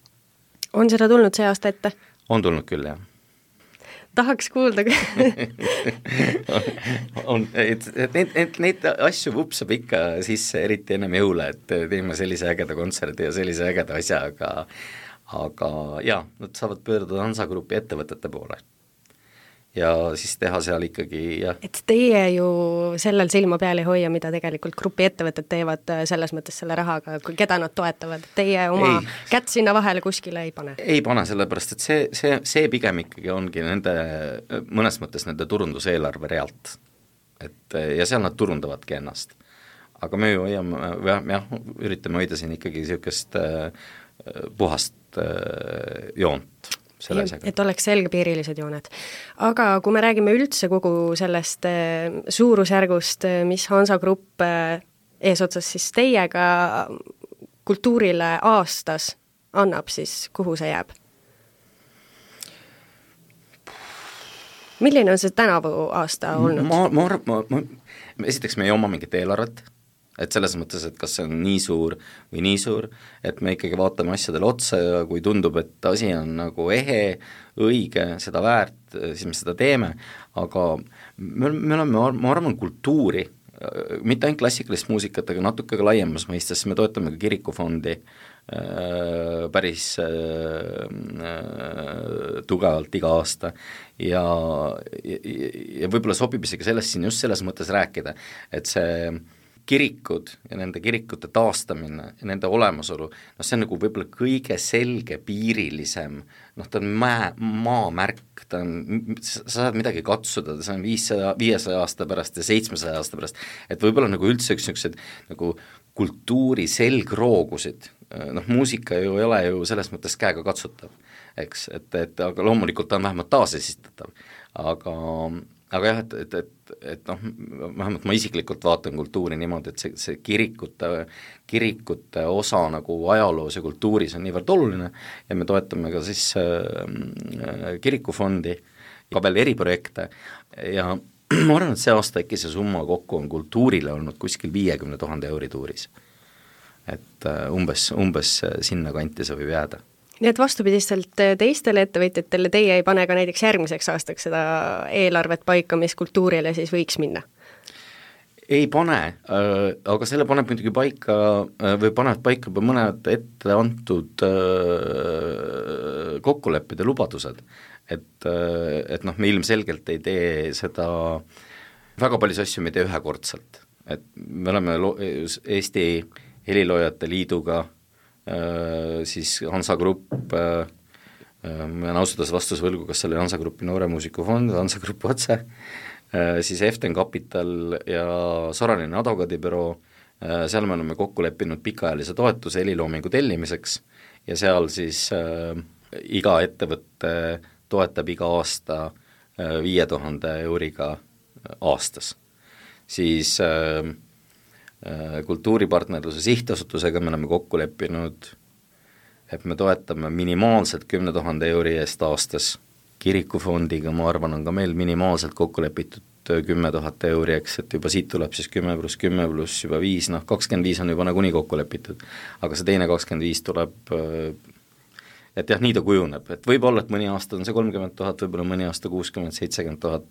On seda tulnud see aasta ette? On tulnud küll, jah. Tahaks kuulda neid asju vupsab ikka sisse, eriti ennem jõule, et teeme sellise ägeda kontserdi ja sellise ägeda asja, aga jaa, nad saavad pöörduda Hansa Grupi ettevõtete poole ja siis teha seal ikkagi jah. Et teie ju sellel silma peal ei hoia, mida tegelikult grupi ettevõtted teevad selles mõttes selle rahaga, keda nad toetavad, teie oma kätt sinna vahele kuskile ei pane? Ei pane, sellepärast, et see pigem ikkagi ongi nende, mõnes mõttes nende turunduseelarve realt. Ja seal nad turundavadki ennast. Aga me ju hoiame, üritame hoida siin ikkagi niisugust puhast joont. Et oleks selgepiirilised jooned. Aga kui me räägime üldse kogu sellest suurusjärgust, mis Hansa Grupp eesotsas siis teiega kultuurile aastas annab, siis kuhu see jääb? Milline on see tänavu aasta olnud? Esiteks me ei oma mingit eelarvet, et selles mõttes, et kas see on nii suur või nii suur, et me ikkagi vaatame asjadele otsa ja kui tundub, et asi on nagu ehe, õige, seda väärt, siis me seda teeme, aga me oleme, ma arvan, kultuuri, mitte ainult klassikalist muusikat, aga natuke ka laiemas mõistes, me toetame ka kirikufondi päris tugevalt iga aasta ja võib-olla sobib isegi sellest siin just selles mõttes rääkida, et see kirikud ja nende kirikute taastamine ja nende olemasolu, see on nagu võib-olla kõige selge piirilisem, ta on maamärk, sa saad midagi katsuda, see on 500 aasta pärast ja 700 aasta pärast, et võib-olla nagu üldse üks niisugused nagu kultuuri selgroogusid, muusika ju ei ole ju selles mõttes käega katsutav, eks, et aga loomulikult ta on vähemalt taasesistatav, aga jah, et vähemalt ma isiklikult vaatan kultuuri niimoodi, et see kirikute osa nagu ajaloos ja kultuuris on niivõrd oluline ja me toetame ka siis kirikufondi, ka veel eriprojekte ja ma arvan, et see aasta äkki see summa kokku on kultuurile olnud kuskil 50 000 euri tuuris. Et umbes sinna kanti see võib jääda. Nii et vastupidistelt teistele ettevõtjatele teie ei pane ka näiteks järgmiseks aastaks seda eelarvet paika, mis kultuurile siis võiks minna? Ei pane, aga selle paneb muidugi paika või panevad paika juba mõned ette antud kokkulepped ja lubadused, et me ilmselgelt ei tee seda, väga palju asju me ei tee ühekordselt, et me oleme Eesti Heliloojate Liiduga siis Hansa Grupp, ma olen ausalt vastus võlgu, kas selle Hansa Grupi nooremuusikufond, Hansa Grupp otse, siis Eften Capital ja Soraline advokaadibüroo, seal me oleme kokku leppinud pikaajalise toetuse heliloomingu tellimiseks ja seal siis iga ettevõtte toetab iga aasta 5000 euriga aastas. Siis kultuuripartnerluse sihtasutusega me oleme kokku leppinud, et me toetame minimaalselt 10 000 euri eest aastas. Kirikufondiga, ma arvan, on ka meil minimaalselt kokku lepitud 10 000 euri, eks, et juba siit tuleb siis 10 + 10 + juba 5, 25 on juba nagunii kokku lepitud, aga see teine 25 tuleb, et jah, nii ta kujuneb, et võib-olla, et mõni aasta on see 30 000, võib-olla mõni aasta 60-70 000.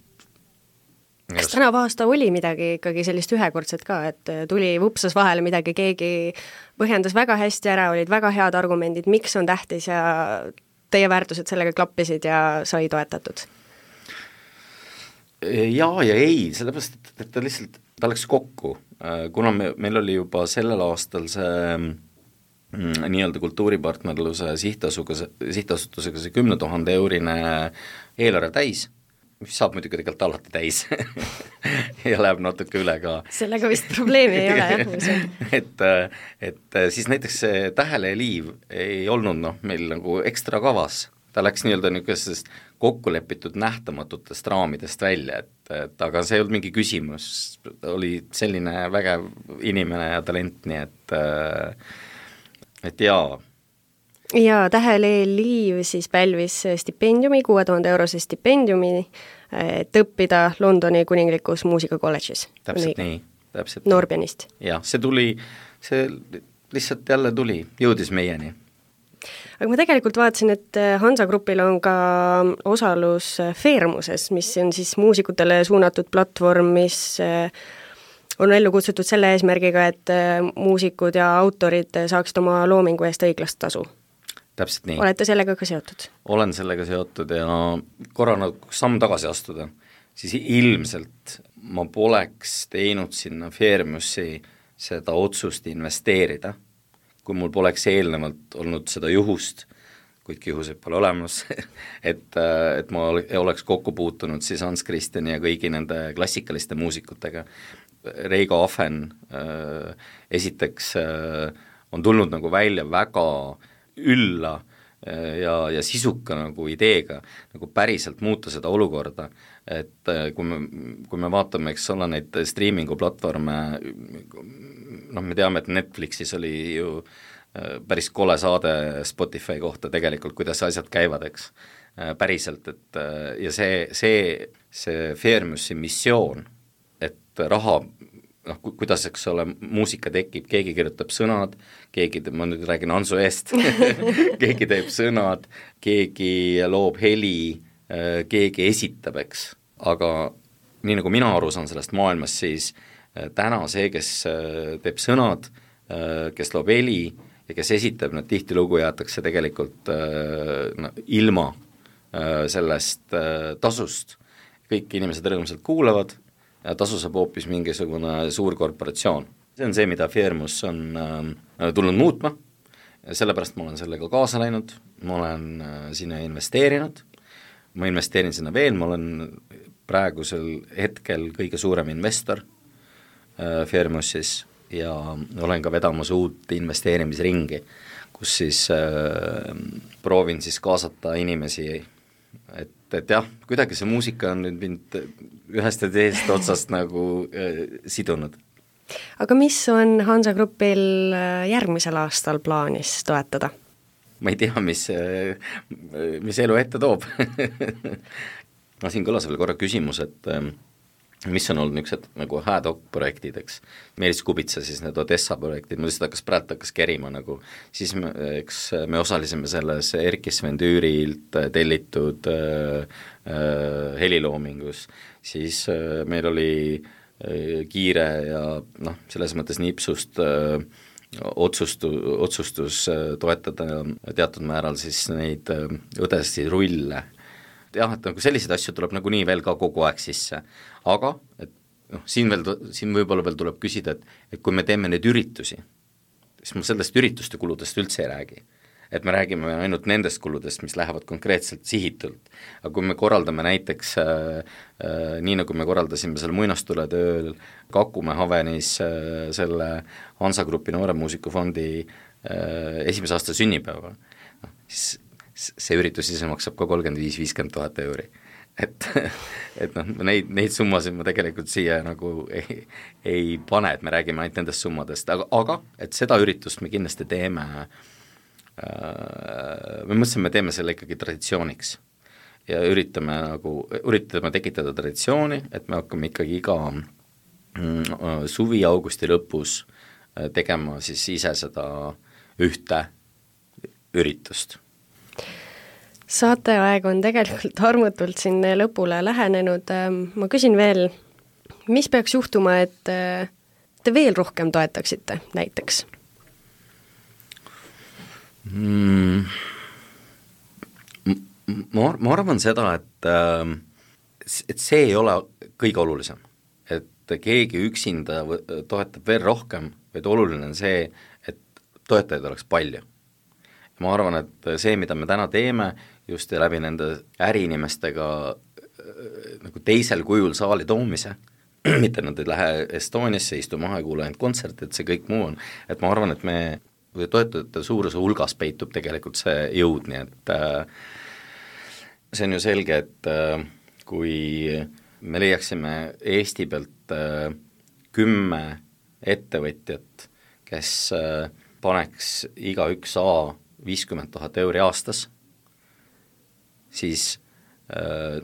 Kas tänav aasta oli midagi ikkagi sellist ühekordset ka, et tuli vupsas vahele midagi, keegi põhjendas väga hästi ära, olid väga head argumendid, miks on tähtis ja teie väärtused sellega klappisid ja sai toetatud? Jaa ja ei, sellepärast, et ta lihtsalt, ta läks kokku, kuna meil oli juba sellel aastal see nii-öelda kultuuripartnerluse sihtasutusega see 10 000 eurine eelarve täis, mis saab muidugi tegelikult alati täis ja läheb natuke üle ka. Sellega vist probleemi ei ole, jah. et siis näiteks see Tähele ja Liiv ei olnud meil nagu ekstra kavas ta läks nii-öelda niisugusest kokkulepitud nähtamatutest raamidest välja, et aga see ei olnud mingi küsimus, oli selline vägev inimene ja talent, nii et jaa. Ja Täheleel Liiv siis pälvis stipendiumi, 6000 eurose stipendiumi, et õppida Londoni kuninglikus muusikakolledžis. Täpselt nii, täpselt. Noorpianist. Jah, see lihtsalt jälle tuli, jõudis meieni. Aga ma tegelikult vaatasin, et Hansa Grupil on ka osalus Fairmuses, mis on siis muusikutele suunatud platvorm, mis on ellu kutsutud selle eesmärgiga, et muusikud ja autorid saaksid oma loomingu eest õiglast tasu. Täpselt nii. Olete sellega ka seotud? Olen sellega seotud ja korra samm tagasi astuda, siis ilmselt ma poleks teinud sinna Fairmusi seda otsust investeerida, kui mul poleks eelnevalt olnud seda juhust, kuidki juhuseid pole olemas, et ma oleks kokku puutunud siis Hans Christiani ja kõigi nende klassikaliste muusikutega. Reigo Afen esiteks on tulnud nagu välja väga ülla ja sisuka nagu ideega nagu päriselt muuta seda olukorda, et kui me vaatame, eks ole, neid streamingu platvorme, me teame, et Netflixis oli ju päris kole saade Spotify kohta tegelikult, kuidas asjad käivad, eks, päriselt, et ja see Fairmusi missioon, et raha, kuidas, eks ole, muusika tekib, keegi kirjutab sõnad, ma nüüd räägin Hansu eest keegi teeb sõnad, keegi loob heli, keegi esitab, eks, aga nii nagu mina aru saan sellest maailmast, siis täna see, kes teeb sõnad, kes loob heli ja kes esitab, nad tihtilugu jäetakse tegelikult ilma sellest tasust. Kõik inimesed rõõmsalt kuulavad ja tasu saab hoopis mingisugune suur korporatsioon. See on see, mida Fairmus on tulnud muutma, sellepärast ma olen sellega kaasa läinud, ma olen sinna investeerinud, ma investeerin sinna veel, ma olen praegusel hetkel kõige suurem investor Fairmusis ja olen ka vedamas uut investeerimisringi, kus siis proovin siis kaasata inimesi, et jah, kuidagi see muusika on nüüd mind ühest ja teisest otsast nagu sidunud. Aga mis on Hansa Grupil järgmisel aastal plaanis toetada? Ma ei tea, mis elu ette toob siin kõlas veel korra küsimus, et mis on olnud niisugused nagu ad-hoc-projektid, eks. Meelis Kubitsa siis need Odessa projektid, ma lihtsalt hakkas kerima nagu, siis me osalesime selles Erkki Sven Tüürilt tellitud heliloomingus, siis meil oli kiire ja selles mõttes nipsust otsustus toetada teatud määral siis neid õdesi rulle. Jah, et nagu selliseid asju tuleb nagu nii veel ka kogu aeg sisse, aga et siin võib-olla veel tuleb küsida, et kui me teeme neid üritusi, siis ma sellest ürituste kuludest üldse ei räägi. Et me räägime ainult nendest kuludest, mis lähevad konkreetselt sihitult. Aga kui me korraldame näiteks, nii nagu me korraldasime selle muinastuletööl Kakumäe Havenis selle Hansa Grupi Nooremuusikufondi esimese aasta sünnipäeva, siis see üritus ise maksab ka 35-50 000 euri. Et neid summasid ma tegelikult siia nagu ei pane, et me räägime ainult nendest summadest, aga et seda üritust me kindlasti teeme, me mõtlesime, me teeme selle ikkagi traditsiooniks ja üritame tekitada traditsiooni, et me hakkame ikkagi iga suvi augusti lõpus tegema siis ise seda ühte üritust. Saateaeg on tegelikult armutult siin lõpule lähenenud. Ma küsin veel, mis peaks juhtuma, et te veel rohkem toetaksite näiteks? Ma arvan seda, et see ei ole kõige olulisem, et keegi üksinda toetab veel rohkem, vaid oluline on see, et toetajaid oleks palju. Ma arvan, et see, mida me täna teeme, just läbi nende äriinimestega nagu teisel kujul saali toomise, mitte nad ei lähe Estoniasse, istu maha ja kuule ainult kontsert, et see kõik muu on, et ma arvan, et me toetajate suuruse hulgas peitub tegelikult see jõud, nii see on ju selge, et kui me leiaksime Eesti pealt 10 ettevõtjat, kes paneks igaüks 50 000 euri aastas, siis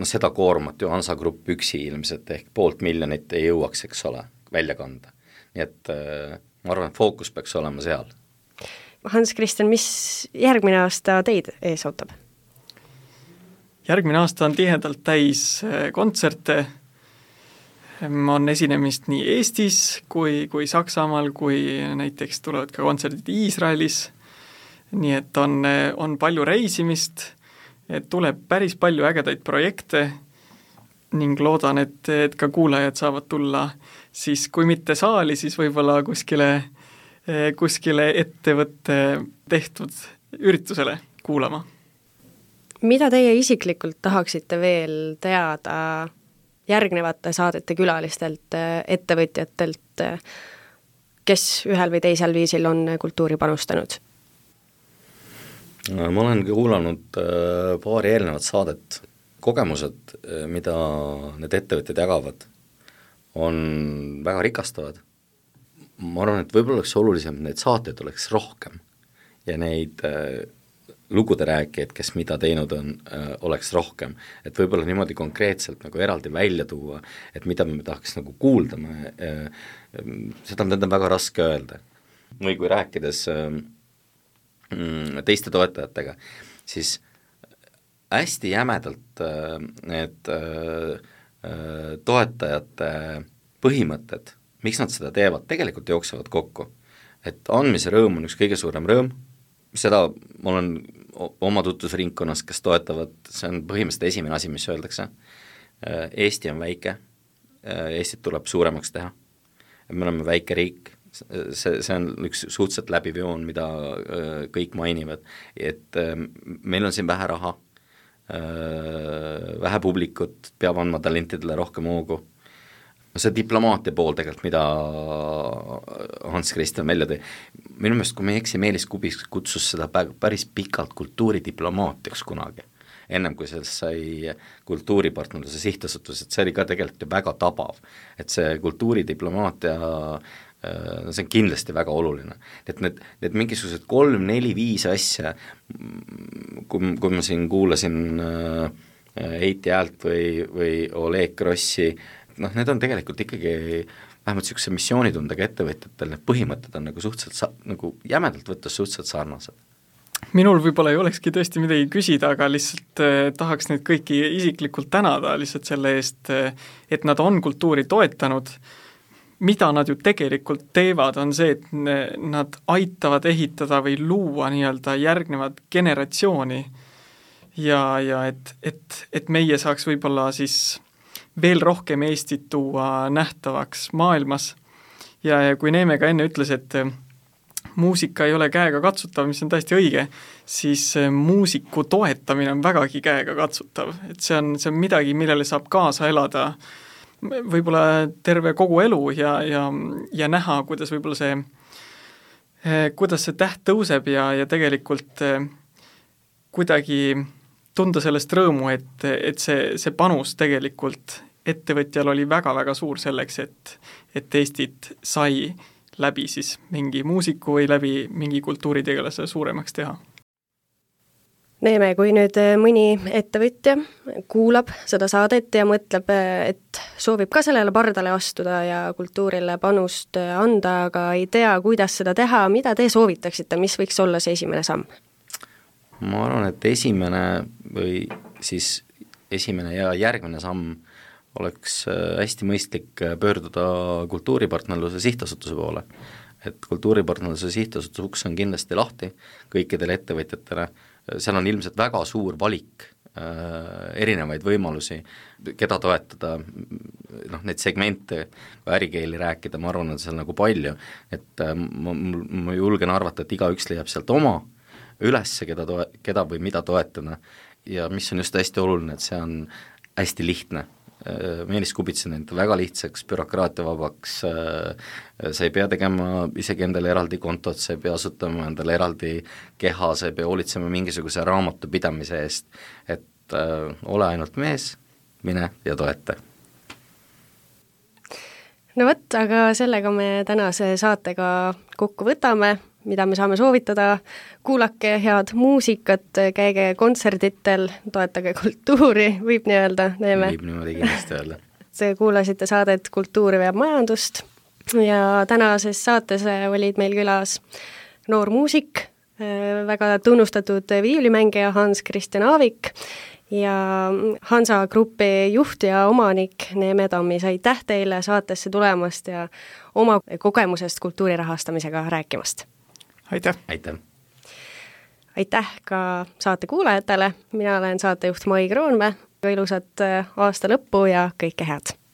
seda koormat ju Hansa Grupp üksi ilmselt ehk 500 000 ei jõuaks, eks ole, välja kanda. Nii et ma arvan, et fookus peaks olema seal. Hans-Christian, mis järgmine aasta teid ees ootab? Järgmine aasta on tihedalt täis kontserte, on esinemist nii Eestis kui Saksamaal, kui näiteks tulevad ka kontserdid Iisraelis, nii et on palju reisimist, et tuleb päris palju ägedaid projekte ning loodan, et ka kuulajad saavad tulla siis kui mitte saali, siis võib-olla kuskile ettevõtte tehtud üritusele kuulama. Mida teie isiklikult tahaksite veel teada järgnevate saadete külalistelt, ettevõtjatelt, kes ühel või teisel viisil on kultuuri panustanud? Ma olen kuulanud paari eelnevat saadet. Kogemused, mida need ettevõtjad jagavad, on väga rikastavad. Ma arvan, et võib-olla oleks olulisem, et neid saateid oleks rohkem ja neid lugude rääkijaid, kes mida teinud on, oleks rohkem. Et võib-olla niimoodi konkreetselt nagu eraldi välja tuua, et mida me tahaks nagu kuulda, seda on väga raske öelda. Või kui rääkides teiste toetajatega, siis hästi jämedalt need toetajate põhimõtted, miks nad seda teevad, tegelikult jooksevad kokku. Et andmise rõõm on üks kõige suurem rõõm, seda ma olen oma tutvusringkonnas, kes toetavad, see on põhimõtteliselt esimene asi, mis öeldakse. Eesti on väike, Eestit tuleb suuremaks teha, me oleme väike riik, see on üks suhteliselt läbiv joon, mida kõik mainivad, et meil on siin vähe raha, vähe publikut, peab andma talentidele rohkem hoogu. See diplomaatia pool tegelikult, mida Hans-Christian välja tõi, minu meelest, kui me ei eksi, Meelis Kubis kutsus seda päris pikalt kultuuridiplomaatiaks kunagi, ennem kui sellest sai kultuuripartnerluse sihtasutus, et see oli ka tegelikult ju väga tabav, et see kultuuridiplomaatia, see on kindlasti väga oluline, et need mingisugused 3, 4, 5 asja, kui ma siin kuulasin Heiti Häält või Oleg Grossi, need on tegelikult ikkagi vähemalt niisuguse missioonitundega ettevõtjatel, need põhimõtted on nagu suhteliselt, nagu jämedalt võttes suhteliselt sarnased. Minul võib-olla ei olekski tõesti midagi küsida, aga lihtsalt tahaks neid kõiki isiklikult tänada lihtsalt selle eest, et nad on kultuuri toetanud. Mida nad ju tegelikult teevad, on see, et nad aitavad ehitada või luua nii-öelda järgnevat generatsiooni ja et meie saaks võib-olla siis veel rohkem Eestit tuua nähtavaks maailmas. Ja kui Neeme ka enne ütles, et muusika ei ole käega katsutav, mis on täiesti õige, siis muusiku toetamine on vägagi käega katsutav. Et see on midagi, millele saab kaasa elada võib-olla terve kogu elu ja näha, kuidas võib-olla kuidas see täht tõuseb ja tegelikult kuidagi tunda sellest rõõmu, et see panus tegelikult ettevõtjal oli väga-väga suur selleks, et Eestit sai läbi siis mingi muusiku või läbi mingi kultuuritegelase suuremaks teha. Neeme, kui nüüd mõni ettevõtja kuulab seda saadet ja mõtleb, et soovib ka sellele pardale astuda ja kultuurile panust anda, aga ei tea, kuidas seda teha, mida te soovitaksite, mis võiks olla see esimene samm? Ma arvan, et esimene ja järgmine samm oleks hästi mõistlik pöörduda kultuuripartnerluse sihtasutuse poole. Et kultuuripartnerluse sihtasutus uks on kindlasti lahti kõikidele ettevõtjatele, seal on ilmselt väga suur valik erinevaid võimalusi, keda toetada, neid segmente, kui ärikeeli rääkida, ma arvan, et seal nagu palju, et ma julgen arvata, et igaüks leiab sealt oma ülesse, keda või mida toetada ja mis on just hästi oluline, et see on hästi lihtne. Meelis Kubits on enda väga lihtsaks, bürokraatiavabaks, sa ei pea tegema isegi endale eraldi kontot, sa ei pea asutama endale eraldi keha, sa ei pea hoolitsema mingisuguse raamatupidamise eest, et ole ainult mees, mine ja toeta. No vot, aga sellega me tänase saatega kokku võtame, mida me saame soovitada. Kuulake head muusikat, käige kontserditel, toetage kultuuri, võib nii öelda. Võib niimoodi kindlasti öelda. Kuulasite saadet Kultuur veab majandust ja tänases saates olid meil külas noor muusik, väga tunnustatud viiulimängija Hans Christian Aavik ja Hansa Grupi juht ja omanik Neeme Tammis. Aitäh teile saatesse tulemast ja oma kogemusest kultuuri rahastamisega rääkimast. Aitäh! Aitäh! Aitäh ka saate kuulajatele, mina olen saatejuht Mai Kroonmäe, ilusat aasta lõppu ja kõike head!